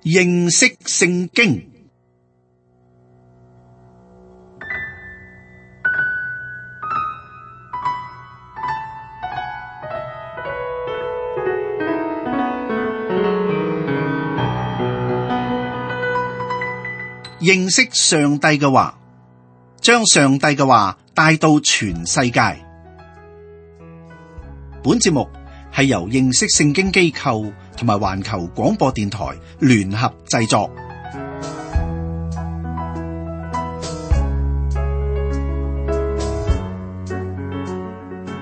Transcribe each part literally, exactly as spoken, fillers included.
認識聖經。認識上帝嘅話，將上帝嘅話帶到全世界。本節目係由認識聖經機構同埋環球廣播電台聯合製作。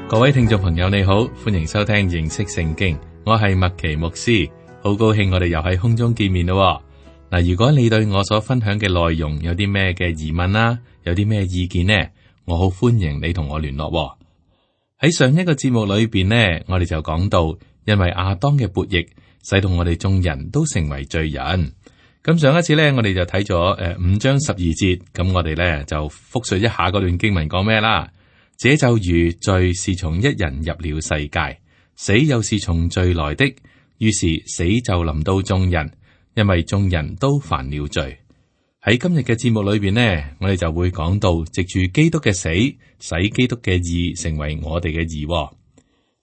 各位聽眾朋友你好，歡迎收聽認識聖經，我係麥奇牧師，好高興我哋又喺空中見面咯。嗱，如果你對我所分享嘅內容有啲咩嘅疑問啦，有啲咩意見呢，我好歡迎你同我聯絡。喺上一個節目裏邊呢，我哋就講到，因為亞當嘅悖逆，使到我哋眾人都成為罪人。咁上一次呢，我哋就睇咗誒五章十二節，咁我哋呢就複述一下嗰段經文講咩啦。這就如罪是從一人入了世界，死又是從罪來的，於是死就臨到眾人。因為眾人都犯了罪。喺今日嘅節目裏邊呢，我哋就會講到藉住基督嘅死，使基督嘅義成為我哋嘅義。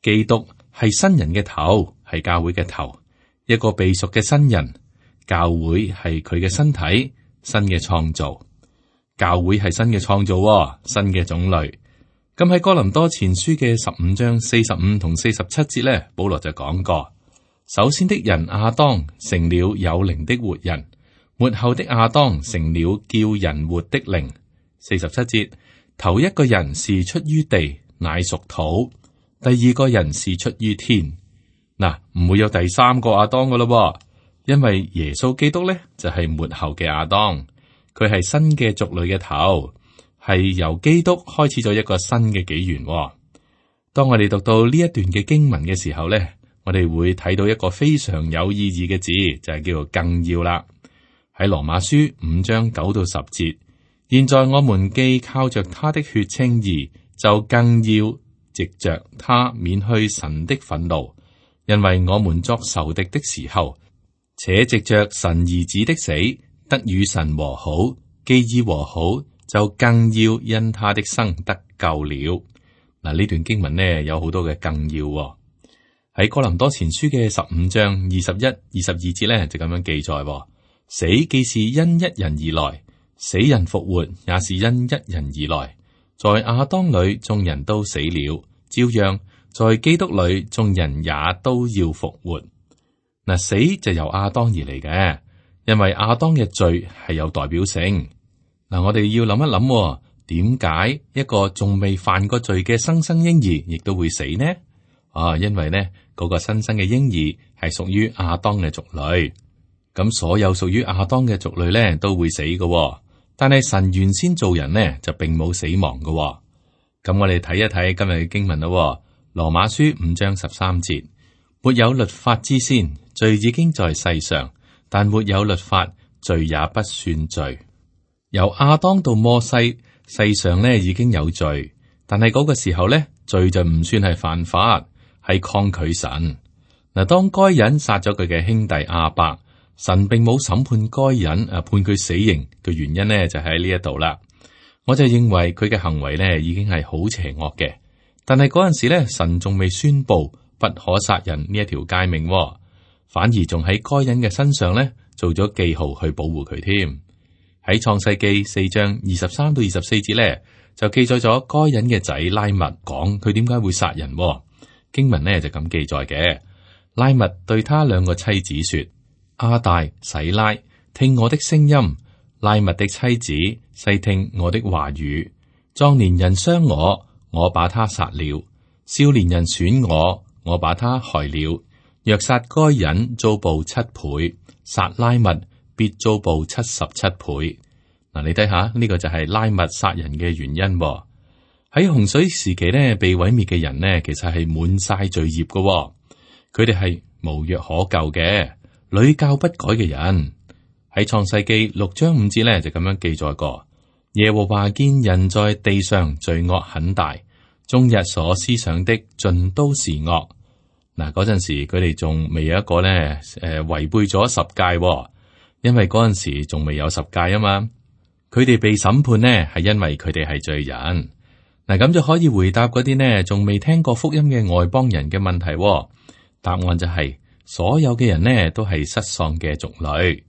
基督係新人嘅頭，係教會嘅頭，一個被贖嘅新人。教會係佢嘅身體，新嘅創造。教會係新嘅創造，新嘅種類。咁喺哥林多前書嘅十五章四十五同四十七節呢，保羅就講過。首先的人亞當成了有靈的活人，末後的亞當成了叫人活的靈。四十七節，頭一個人是出於地，乃屬土；第二個人是出於天。嗱，唔會有第三個亞當噶咯，因為耶穌基督咧就係末後嘅亞當，佢係新嘅族類嘅頭，係由基督開始咗一個新嘅紀元。當我哋讀到呢一段嘅經文嘅時候咧，我哋會睇到一個非常有意義嘅字，就係叫做更要啦。喺羅馬書五章九到十節，現在我們既靠着他的血稱義，就更要藉着他免去神的憤怒，因為我們作仇敵的時候，且藉着神兒子的死，得與神和好，既已和好，就更要因他的生得救了。嗱，呢段經文呢有好多嘅更要。喺哥林多前書嘅十五章二十一、二十二節咧，就咁樣記載：死既是因一人而來，死人復活也是因一人而來。在亞當裏眾人都死了，照樣在基督裏眾人也都要復活。嗱，死就由亞當而嚟嘅，因為亞當嘅罪係有代表性。嗱，我哋要諗一諗，點解一個仲未犯過罪嘅新生嬰兒亦都會死呢？啊，因為呢嗰個新生嘅嬰兒係屬於亞當嘅族類，咁所有屬於亞當嘅族類呢都會死嘅。但係神原先造人呢就並冇死亡嘅。咁我哋睇一睇今日嘅經文咯。羅馬書五章十三節，沒有律法之先，罪已經在世上，但沒有律法，罪也不算罪。由亞當到摩西，世上呢已經有罪，但係嗰個時候呢，罪就唔算係犯法。係抗拒神。嗱，當該隱殺咗佢嘅兄弟亞伯，神並冇審判該隱，誒判佢死刑嘅原因呢，就喺呢一度啦。我就認為佢嘅行為呢已經係好邪惡嘅，但係嗰陣時咧，神仲未宣布不可殺人呢一條誡命，反而仲喺該隱嘅身上咧做咗記號去保護佢添。喺創世記四章二十三到二十四節咧，就記載咗該隱嘅仔拉麥講佢點解會殺人。經文呢就咁記載嘅，拉麥對他兩個妻子說：亞大、洗拉，聽我的聲音；拉麥的妻子細聽我的話語。壯年人傷我，我把他殺了；少年人損我，我把他害了。若殺該隱，遭報七倍；殺拉麥，必遭報七十七倍。嗱，你睇下呢個就係拉麥殺人嘅原因。喺洪水時期咧，被毀滅嘅人呢，其實係滿晒罪孽嘅，佢哋係無藥可救嘅，屢教不改嘅人。喺創世記六章五節咧就咁樣記載過：耶和華見人在地上罪惡很大，終日所思想的盡都是惡。嗱，嗰陣時佢哋仲未有一個咧，誒、呃、違背咗十誡，因為嗰陣時仲未有十誡啊嘛。佢哋被審判呢，係因為佢哋係罪人。嗱，咁就可以回答嗰啲呢仲未聽過福音嘅外邦人嘅問題。答案就係、是、所有嘅人呢都係失喪嘅族類。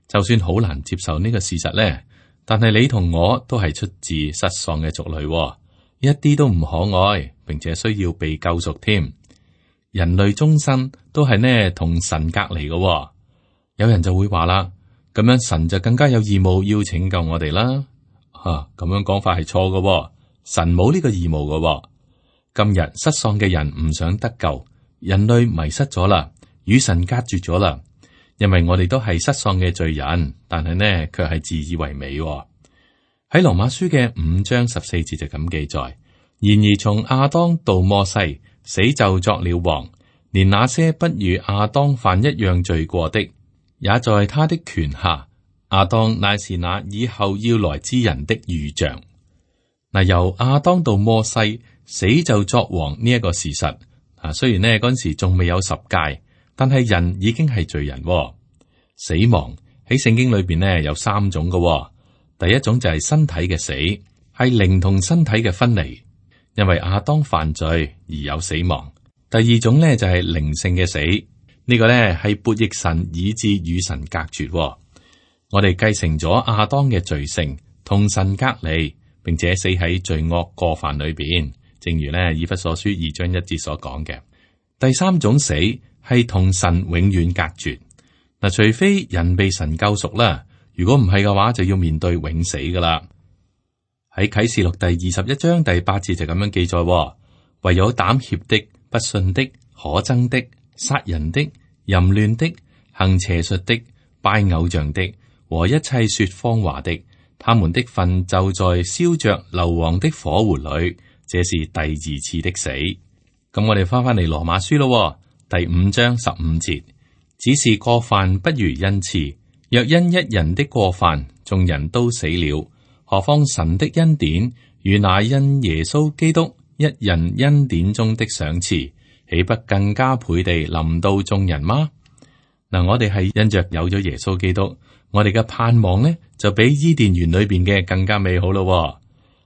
就算好難接受呢個事實呢，但係你同我都係出自失喪嘅族類，一啲都唔可愛，並且需要被救贖添。人類終身都係呢同神隔離嘅。有人就會話啦，咁樣神就更加有義務要拯救我哋啦。吓、啊，咁樣講法係錯嘅，神冇呢個義務嘅。今日失喪嘅人唔想得救，人類迷失咗啦，與神隔絕咗啦。因為我哋都係失喪嘅罪人，但係呢卻係自以為美。喺羅馬書嘅五章十四節就咁記載：然而從亞當到摩西，死就作了王，連那些不與亞當犯一樣罪過的，也在他的權下。亞當乃是那以後要來之人的預像。嗱，由亞當到摩西，死就作王呢一個事實啊，雖然呢嗰陣時仲未有十誡，但係人已經係罪人。死亡喺聖經裏邊呢有三種嘅。第一種就係身體嘅死，係靈同身體嘅分離，因為亞當犯罪而有死亡。第二種呢就係靈性嘅死，呢個呢係悖逆神以致與神隔絕。我哋繼承咗亞當嘅罪性，同神隔離，並且死喺罪惡過犯裏邊。正如呢以弗所書二章一節所講嘅。第三種死係同神永遠隔絕。嗱，除非人被神救贖啦。如果唔係嘅話，就要面對永死噶啦。喺啟示錄第二十一章第八節就咁樣記載：唯有膽怯的、不信的、可憎的、殺人的、淫亂的、行邪術的、拜偶像的和一切說謊話的，他們的份就在燒着硫磺的火湖裏。這是第二次的死。咁我哋翻翻嚟羅馬書咯，第五章十五節，只是過犯不如恩賜。若因一人的過犯，眾人都死了，何況神的恩典與那因耶穌基督一人恩典中的賞賜，豈不更加倍地臨到眾人嗎？嗱，我哋係因着有咗耶穌基督，我哋嘅盼望呢就比伊甸園裏邊嘅更加美好咯。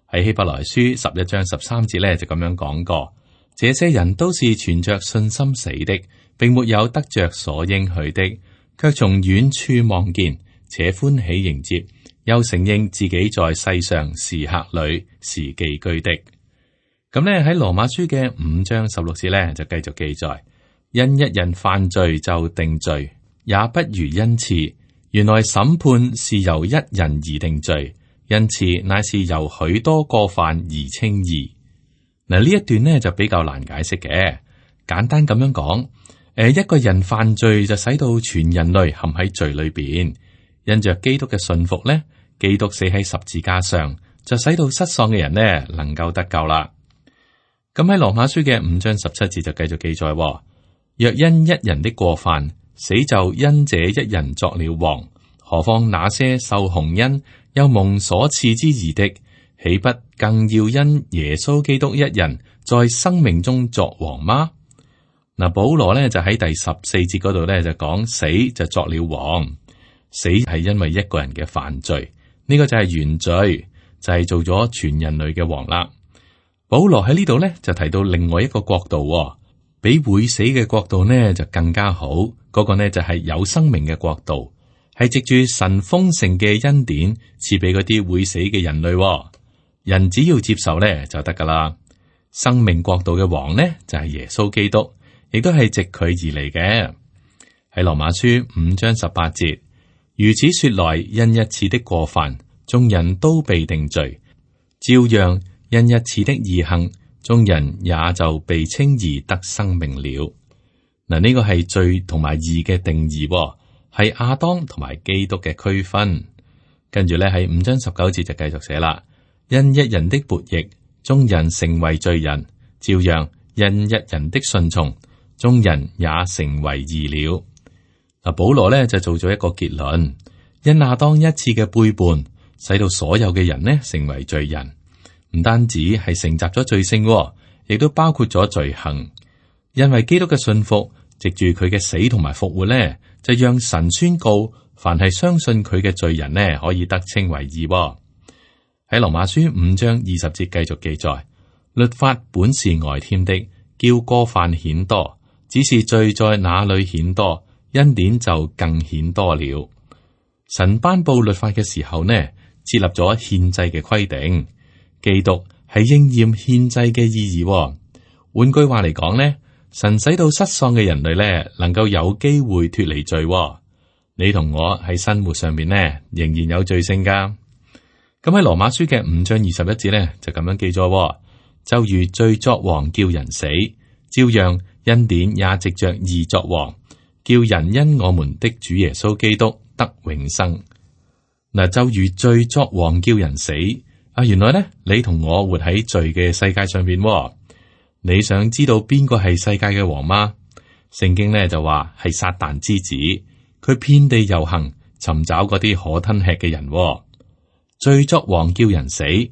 喺希伯來書十一章十三節咧就咁樣講過，這些人都是存着信心死的，並沒有得着所應許的。卻從遠處望見，且歡喜迎接，又承認自己在世上是客旅，是寄居的。咁咧喺羅馬書嘅五章十六節咧就繼續記載：因一人犯罪就定罪，也不如恩賜。原來審判是由一人而定罪，恩賜乃是由許多過犯而稱義。嗱，呢一段呢就比較難解釋嘅，簡單咁樣講。誒，一個人犯罪就使到全人類陷喺罪裏邊，因着基督嘅信服咧，基督死喺十字架上，就使到失喪嘅人呢能夠得救啦。咁喺羅馬書嘅五章十七節就繼續記載：若因一人的過犯，死就因這一人作了王，何況那些受洪恩又蒙所賜之義的，豈不更要因耶穌基督一人在生命中作王嗎？嗱，保羅咧就喺第十四節嗰度咧就講，死就作了王，死係因為一個人嘅犯罪，呢、這個就係原罪，就係、是、做咗全人類嘅王啦。保羅喺呢度咧就提到另外一個國度，比會死嘅國度呢就更加好，嗰、那個呢就係有生命嘅國度，係藉住神豐盛嘅恩典賜俾嗰啲會死嘅人類，人只要接受咧就得噶啦。生命國度嘅王呢就係耶穌基督。亦都係藉佢而嚟嘅。喺羅馬書五章十八節，如此說來，因一次的過犯，眾人都被定罪；照樣因一次的義行，眾人也就被稱義得生命了。嗱，呢個係罪同埋義嘅定義，係亞當同埋基督嘅區分。跟住咧喺五章十九節就繼續寫啦：因一人的悖逆，眾人成為罪人；照樣因一人的順從，眾人也成為義了。嗱，保羅咧就做咗一個結論：因亞當一次嘅背叛，使到所有嘅人呢成為罪人，唔單止係承襲咗罪性，亦都包括咗罪行。因為基督嘅信服，藉住佢嘅死同埋復活咧，就讓神宣告凡係相信佢嘅罪人呢，可以得稱為義喎。喺羅馬書五章二十節繼續記載，律法本是外添的，叫過犯顯多，只是罪在哪裏顯多，恩典就更顯多了。神頒布律法嘅時候呢，設立咗獻祭嘅規定，基督係應驗獻祭嘅意義喎。換句話嚟講呢，神使到失喪嘅人類呢，能夠有機會脫離罪喎。你同我喺生活上面呢，仍然有罪性噶。咁喺羅馬書嘅五章二十一節呢，就咁樣記咗，就如罪作王叫人死，照樣恩典也藉着義作王，叫人因我們的主耶穌基督得永生。嗱，就如罪作王叫人死啊！原來呢，你同我活喺罪嘅世界上邊。你想知道邊個係世界嘅王嗎？聖經呢就話係撒旦之子，佢遍地遊行，尋找嗰啲可吞吃嘅人。罪作王叫人死，嗱，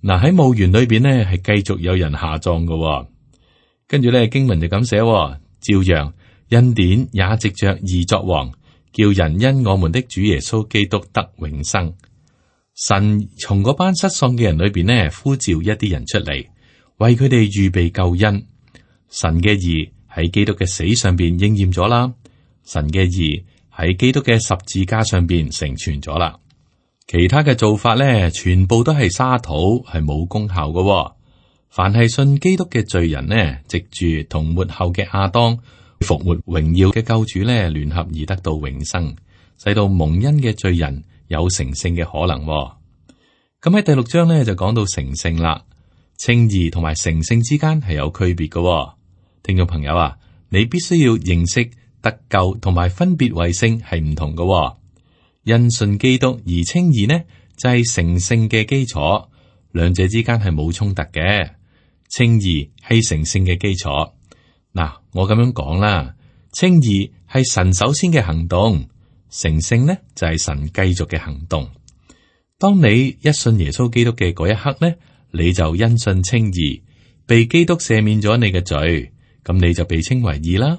喺墓園裏邊呢係繼續有人下葬嘅。跟住咧經文就咁寫，照樣恩典也藉着義作王，叫人因我們的主耶穌基督得永生。神從嗰班失喪嘅人裏邊呢呼召一啲人出嚟，為佢哋預備救恩。神嘅義喺基督嘅死上邊應驗咗啦，神嘅義喺基督嘅十字架上邊成全咗啦。其他嘅做法咧，全部都係沙土，係冇功效嘅。凡係信基督嘅罪人呢，藉住同末後嘅亞當復活榮耀嘅救主咧，聯合而得到永生，使到蒙恩嘅罪人有成聖嘅可能。咁喺第六章咧就講到成聖啦，稱義同埋成聖之間係有區別嘅。聽眾朋友啊，你必須要認識得救同埋分別為聖係唔同嘅。因信基督而稱義呢，就係成聖嘅基礎，兩者之間係冇衝突嘅。稱義係成聖嘅基礎。嗱，我咁樣講啦，稱義係神首先嘅行動，成聖呢就係神繼續嘅行動。當你一信耶穌基督嘅嗰一刻呢，你就因信稱義，被基督赦免咗你嘅罪，咁你就被稱為義啦。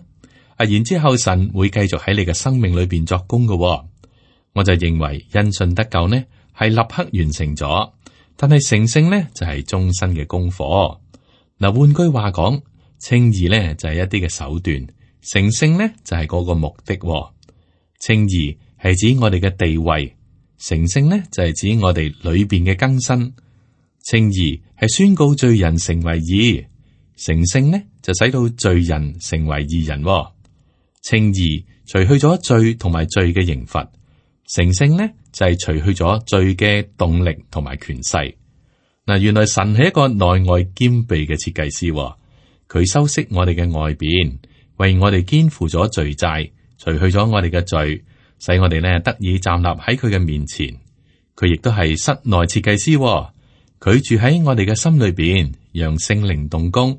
啊，然之後神會繼續喺你嘅生命裏邊作工嘅。我就認為因信得救呢係立刻完成咗，但係成聖呢就係終身嘅功課。嗱，換句話講，稱義呢就係一啲嘅手段，成聖呢就係嗰個目的。稱義係指我哋嘅地位，成聖呢就係指我哋裏邊嘅更新。稱義係宣告罪人成為義，成聖呢就使到罪人成為義人。稱義除去咗罪同埋罪嘅刑罰。成聖呢就係除去咗罪嘅動力同埋權勢。嗱，原來神係一個內外兼備嘅設計師，佢修飾我哋嘅外邊，為我哋肩負咗罪債，除去咗我哋嘅罪，使我哋呢得以站立喺佢嘅面前。佢亦都係室內設計師，佢住喺我哋嘅心裏邊，讓聖靈動工，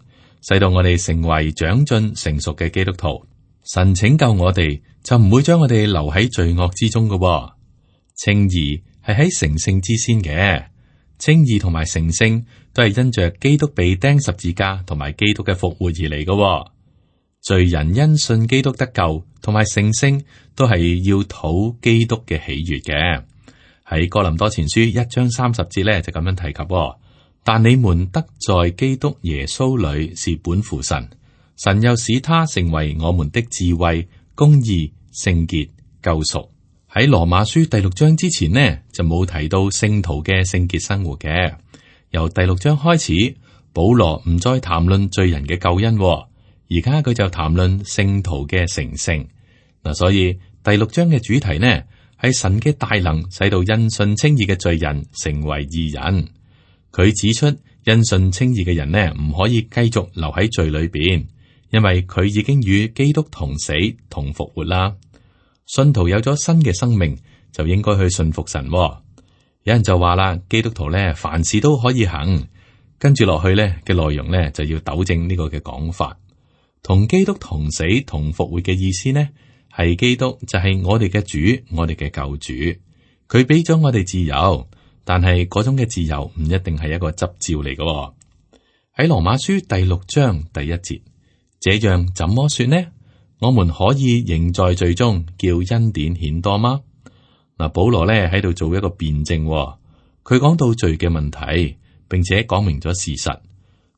使到我哋成為長進成熟嘅基督徒。神拯救我哋，就唔會將我哋留喺罪惡之中嘅。稱義係喺成聖之先嘅，稱義同埋成聖都係因着基督被釘十字架同埋基督嘅復活而嚟嘅。罪人因信基督得救同埋成聖，都係要討基督嘅喜悅嘅。喺哥林多前書一章三十節咧就咁樣提及，但你們得在基督耶穌裏是本乎神。神又使他成為我們的智慧、公義、聖潔、救贖。喺羅馬書第六章之前呢，就冇提到聖徒嘅聖潔生活嘅。由第六章開始，保羅唔再談論罪人嘅救恩，而家佢就談論聖徒嘅成聖。嗱，所以第六章嘅主題呢，係神嘅大能使到因信稱義嘅罪人成為義人。佢指出因信稱義嘅人呢，唔可以繼續留喺罪裏邊。因為佢已經與基督同死同復活啦，信徒有咗新嘅生命，就應該去信服神。有人就話啦，基督徒咧凡事都可以行，跟住落去咧嘅內容咧就要糾正呢個嘅講法。同基督同死同復活嘅意思呢，係基督就係我哋嘅主，我哋嘅救主，佢俾咗我哋自由，但係嗰種嘅自由唔一定係一個執照嚟嘅。喺羅馬書第六章第一節。這樣怎麼說呢？我們可以仍在罪中，叫恩典顯多嗎？嗱，保羅咧喺度做一個辯證，佢講到罪嘅問題，並且講明咗事實。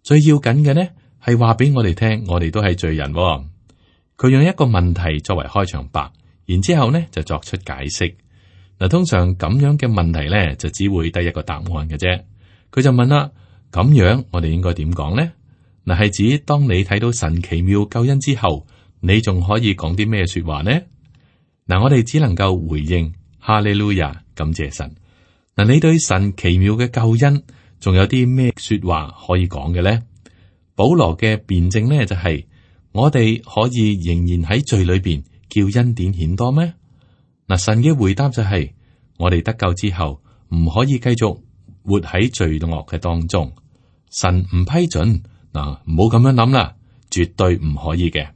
最要緊嘅呢係話俾我哋聽，我哋都係罪人。佢用一個問題作為開場白，然之後呢就作出解釋。嗱，通常咁樣嘅問題咧就只會得一個答案嘅啫。佢就問啦：咁樣我哋應該點講呢？嗱，係指當你睇到神奇妙救恩之後，你仲可以講啲咩說話呢？嗱，我哋只能夠回應哈利路亞，感謝神。嗱，你對神奇妙嘅救恩仲有啲咩說話可以講嘅呢？保羅嘅辯證呢就係、是、我哋可以仍然喺罪裏邊叫恩典顯多咩？嗱，神嘅回答就係、是、我哋得救之後唔可以繼續活喺罪惡嘅當中，神唔批准。嗱，唔好咁樣諗啦，絕對唔可以嘅。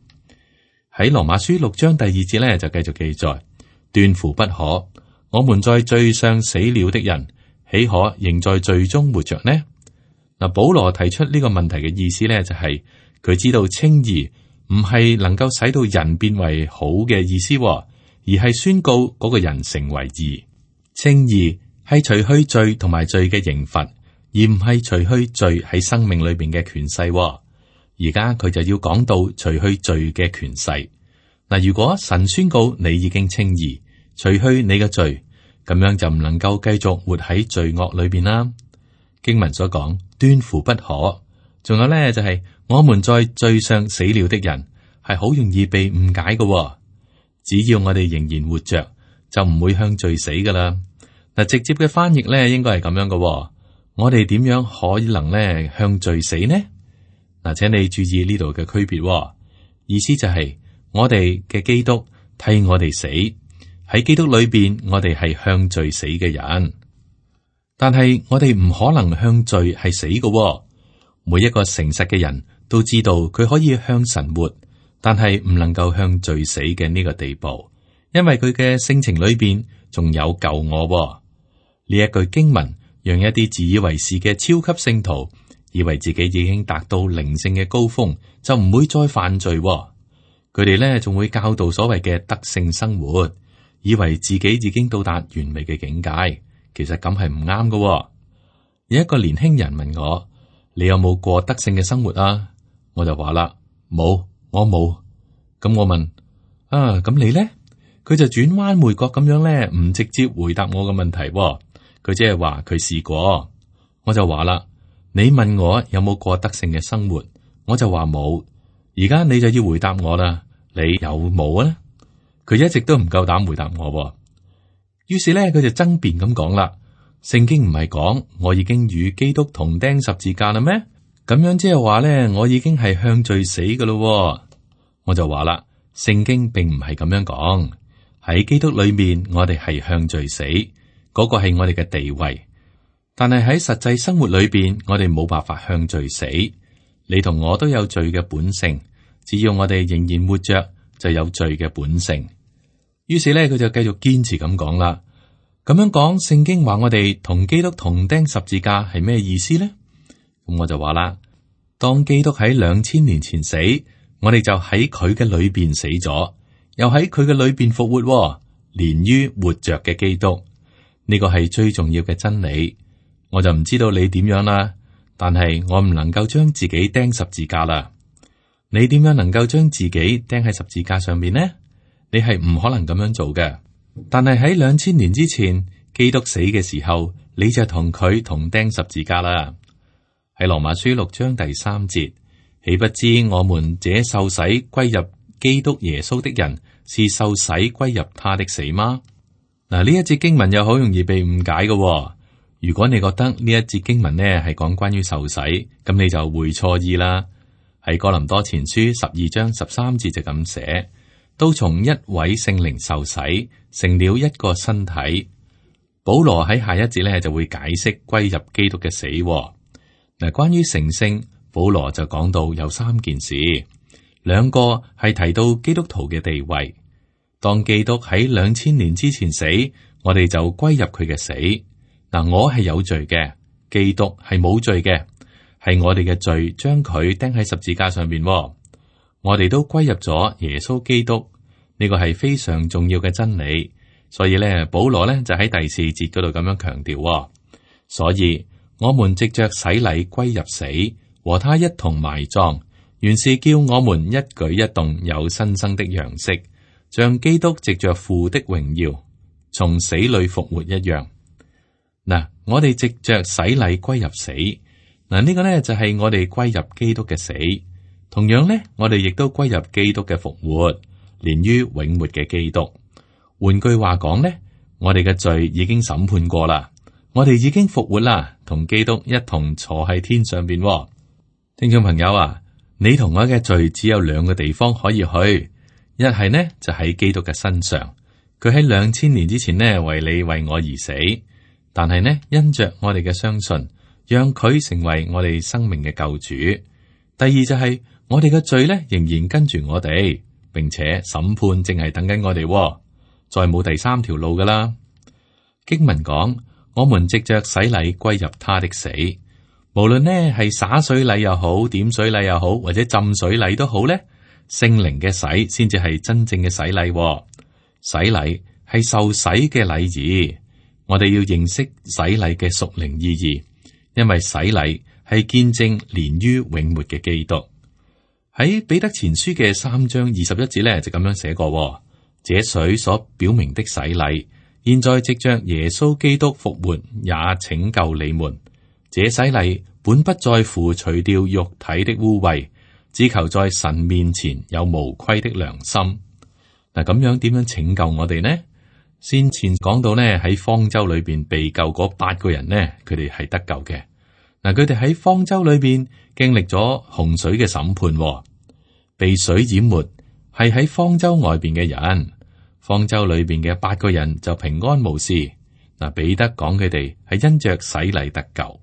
喺羅馬書六章第二節咧就繼續記載，斷乎不可。我們在罪上死了的人，豈可仍在罪中活着呢？嗱，保羅提出呢個問題嘅意思咧，就係佢知道稱義唔係能夠使到人變為好嘅意思，而係宣告嗰個人成為義。稱義係除去罪同埋罪嘅刑罰，而唔係除去罪喺生命裏邊嘅權勢。而家佢就要講到除去罪嘅權勢。嗱，如果神宣告你已經稱義，除去你嘅罪，咁樣就唔能夠繼續活喺罪惡裏邊啦。經文所講斷乎不可，仲有咧就係、是、我們在罪上死了的人，係好容易被誤解嘅。只要我哋仍然活着，就唔會向罪死噶啦。嗱，直接嘅翻譯咧應該係咁樣嘅。我哋點樣可能咧向罪死呢？嗱，請你注意呢度嘅區別，意思就係、是、我哋嘅基督替我哋死，喺基督裏邊，我哋係向罪死嘅人。但係我哋唔可能向罪係死嘅。每一個誠實嘅人都知道佢可以向神活，但係唔能夠向罪死嘅呢個地步，因為佢嘅性情裏邊仲有舊我。呢一句經文讓一啲自以為是嘅超級聖徒以為自己已經達到靈性嘅高峰，就唔會再犯罪。佢哋咧仲會教導所謂嘅德性生活，以為自己已經到達完美嘅境界。其實咁係唔啱嘅。有一個年輕人問我：你有冇過德性嘅生活啊？我就話啦，冇，我冇。咁我問啊，咁你咧？佢就轉彎抹角咁樣咧，唔直接回答我嘅問題。佢即係話佢試過。我就話啦，你問我有冇過德性嘅生活，我就話冇。而家你就要回答我啦，你有冇啊？佢一直都唔夠膽回答我。於是咧，佢就爭辯咁講啦，聖經唔係講我已經與基督同釘十字架啦咩？咁樣即係話咧，我已經係向罪死噶咯。我就話啦，聖經並唔係咁樣講，喺基督裏面我哋係向罪死，嗰個係我哋嘅地位。但係喺實際生活裏邊，我哋冇辦法向罪死。你同我都有罪嘅本性，只要我哋仍然活着，就有罪嘅本性。於是咧，佢就繼續堅持咁講啦。咁樣講，聖經話我哋同基督同釘十字架係咩意思呢？咁我就話啦，當基督喺兩千年前死，我哋就喺佢嘅裏邊死咗，又喺佢嘅裏邊復活，連於活着嘅基督。呢個係最重要嘅真理。我就唔知道你點樣啦，但係我唔能夠將自己釘十字架啦。你點樣能夠將自己釘喺十字架上面呢？你係唔可能咁樣做嘅。但係喺兩千年之前，基督死嘅時候，你就同佢同釘十字架啦。喺羅馬書六章第三節，豈不知我們這受洗歸入基督耶穌的人，是受洗歸入他的死嗎？嗱，呢一節經文又好容易被誤解嘅。如果你覺得呢一節經文呢係講關於受洗，咁你就會錯意啦。喺哥林多前書十二章十三節就咁寫，都從一位聖靈受洗，成了一個身體。保羅喺下一節咧就會解釋歸入基督嘅死。嗱，關於成聖，保羅就講到有三件事，兩個係提到基督徒嘅地位。當基督喺兩千年之前死，我哋就歸入佢嘅死。嗱，我係有罪嘅，基督係冇罪嘅，係我哋嘅罪將佢釘喺十字架上邊。我哋都歸入咗耶穌基督，呢個係非常重要嘅真理。所以咧，保羅咧就喺第四節嗰度咁樣強調，所以我們藉着洗禮歸入死，和他一同埋葬，原是叫我們一舉一動有新生的樣式，像基督藉着父的榮耀從死裏復活一樣。嗱，我哋藉着洗禮歸入死，嗱、這、呢個呢就係我哋歸入基督嘅死，同樣呢，我哋亦都歸入基督嘅復活，連於永活嘅基督。換句話講呢，我哋嘅罪已經審判過啦，我哋已經復活啦，同基督一同坐喺天上邊。聽眾朋友啊，你同我嘅罪只有兩個地方可以去，一係呢就喺基督嘅身上，佢喺兩千年之前呢為你為我而死，但係呢因着我哋嘅相信，讓佢成為我哋生命嘅救主。第二就係、是、我哋嘅罪呢仍然跟住我哋，並且審判正係等緊我哋。再冇第三條路噶啦。經文講，我們藉着洗禮歸入他的死，無論呢係灑水禮又好，點水禮又好，或者浸水禮都好呢，聖靈嘅洗先至係真正嘅洗禮。洗禮係受洗嘅禮儀，我哋要認識洗禮嘅屬靈意義，因為洗禮係見證連於永活嘅基督。喺彼得前書嘅三章二十一節呢，就咁樣寫過。這水所表明的洗禮，現在藉着耶穌基督復活，也拯救你們。這洗禮本不在乎除掉肉體的污穢，只求在神面前有無虧的良心。嗱，咁樣點樣拯救我哋呢？先前講到呢，喺方舟裏邊被救嗰八個人呢，佢哋係得救嘅。嗱，佢哋喺方舟裏邊經歷咗洪水嘅審判，被水淹沒，係喺方舟外邊嘅人。方舟裏邊嘅八個人就平安無事。嗱，彼得講佢哋係因着洗禮得救。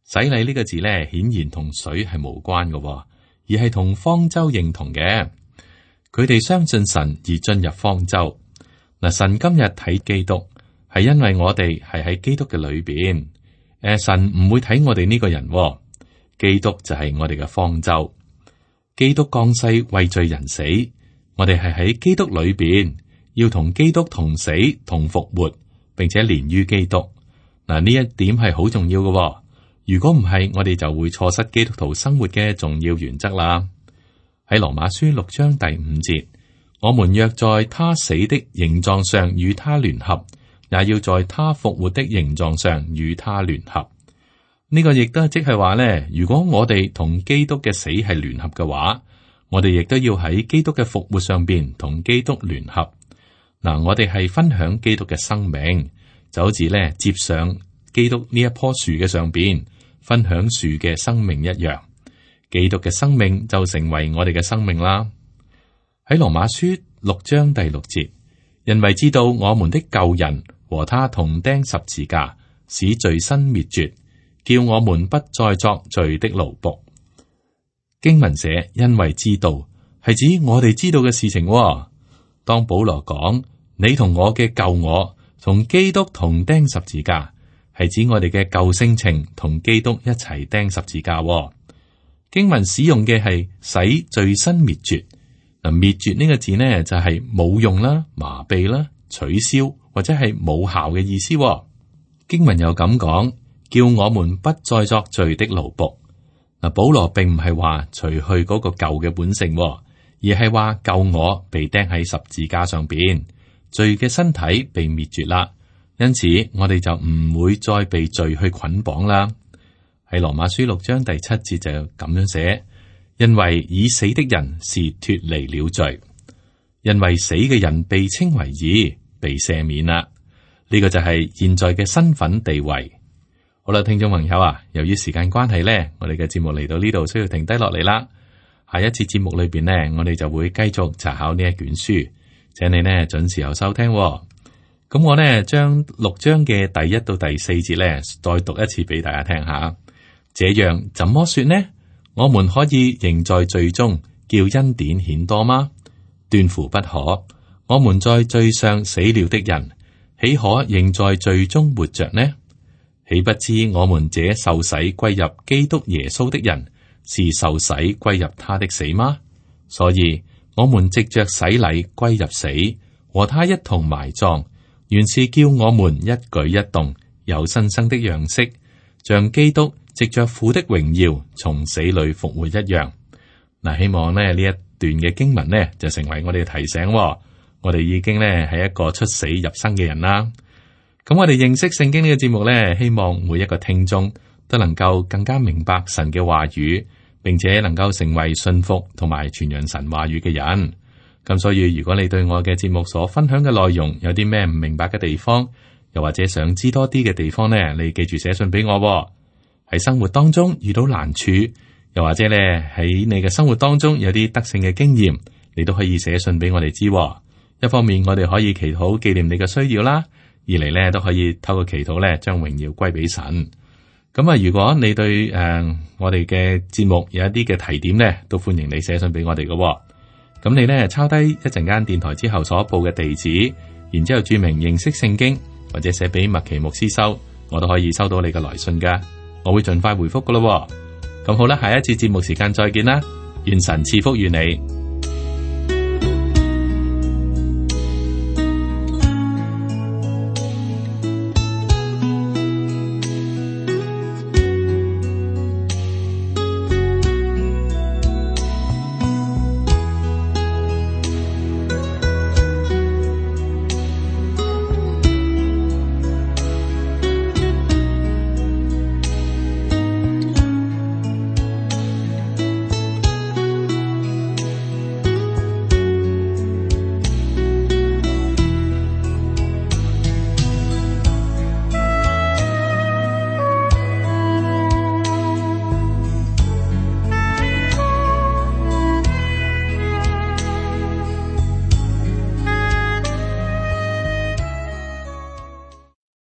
洗禮呢個字咧，顯然同水係無關嘅，而係同方舟認同嘅。佢哋相信神而進入方舟。嗱，神今日睇基督，係因為我哋係喺基督嘅裏邊。誒，神唔會睇我哋呢個人，基督就係我哋嘅方舟。基督降世為罪人死，我哋係喺基督裏邊。要同基督同死同復活，並且連於基督。嗱，呢一點係好重要嘅。如果唔係，我哋就會錯失基督徒生活嘅重要原則啦。喺羅馬書六章第五節，我們若在他死的形狀上與他聯合，也要在他復活的形狀上與他聯合。呢個亦都即係話咧，如果我哋同基督嘅死係聯合嘅話，我哋亦都要喺基督嘅復活上邊同基督聯合。嗱，我哋係分享基督嘅生命，就好似咧接上基督呢一棵樹嘅上邊，分享樹嘅生命一樣。基督嘅生命就成為我哋嘅生命啦。喺羅馬書六章第六節，因為知道我們的舊人和他同釘十字架，使罪身滅絕，叫我們不再作罪的奴僕。經文寫，因為知道係指我哋知道嘅事情。當保羅講你同我嘅舊我同基督同釘十字架，係指我哋嘅舊性情同基督一齊釘十字架。經文使用嘅係使罪身滅絕。嗱，滅絕呢個字呢就係冇用啦、麻痹啦、取消或者係冇效嘅意思。經文又咁講，叫我們不再作罪的奴僕。嗱，保羅並唔係話除去嗰個舊嘅本性。而係話舊我被釘喺十字架上邊，罪嘅身體被滅絕啦，因此我哋就唔會再被罪去捆綁啦。喺羅馬書六章第七節就咁樣寫，因為已死的人是脫離了罪，因為死嘅人被稱為義，被赦免啦。呢、這個就係現在嘅身份地位。好啦，聽眾朋友啊，由於時間關係呢，我哋嘅節目嚟到呢度需要停低落嚟啦。下一次節目裏邊呢，我哋就會繼續查考呢一卷書，請你呢準時有收聽喎。咁我呢將六章嘅第一到第四節呢再讀一次俾大家聽下。這樣怎麼說呢？我們可以仍在罪中，叫恩典顯多嗎？斷乎不可。我們在罪上死了的人，豈可仍在罪中活着呢？豈不知我們這受洗歸入基督耶穌的人，是受洗歸入他的死嗎？所以我們藉着洗禮歸入死，和他一同埋葬，原是叫我們一舉一動有新生的樣式，像基督藉着父的榮耀從死裏復活一樣。嗱，希望咧呢一段嘅經文呢，就成為我哋嘅提醒，哦。我哋已經咧係一個出死入生嘅人啦。咁我哋認識聖經呢個節目呢，希望每一個聽眾都能夠更加明白神嘅話語，並且能夠成為信服同埋傳揚神話語嘅人。咁所以，如果你對我嘅節目所分享嘅內容有啲咩唔明白嘅地方，又或者想知多啲嘅地方呢，你記住寫信俾我，哦。喺生活當中遇到難處，又或者咧喺你嘅生活當中有啲得勝嘅經驗，你都可以寫信俾我哋知，哦。一方面我哋可以祈禱紀念你嘅需要啦，二嚟咧都可以透過祈禱咧將榮耀歸俾神。咁啊，如果你對誒、呃、我哋嘅節目有一啲嘅提點咧，都歡迎你寫信俾我哋嘅，哦。咁你咧抄低一陣間電台之後所報嘅地址，然之後注明認識聖經，或者寫俾麥奇牧師收，我都可以收到你嘅來信噶。我會盡快回覆噶咯。咁好啦，下一次節目時間再見啦，願神賜福於你。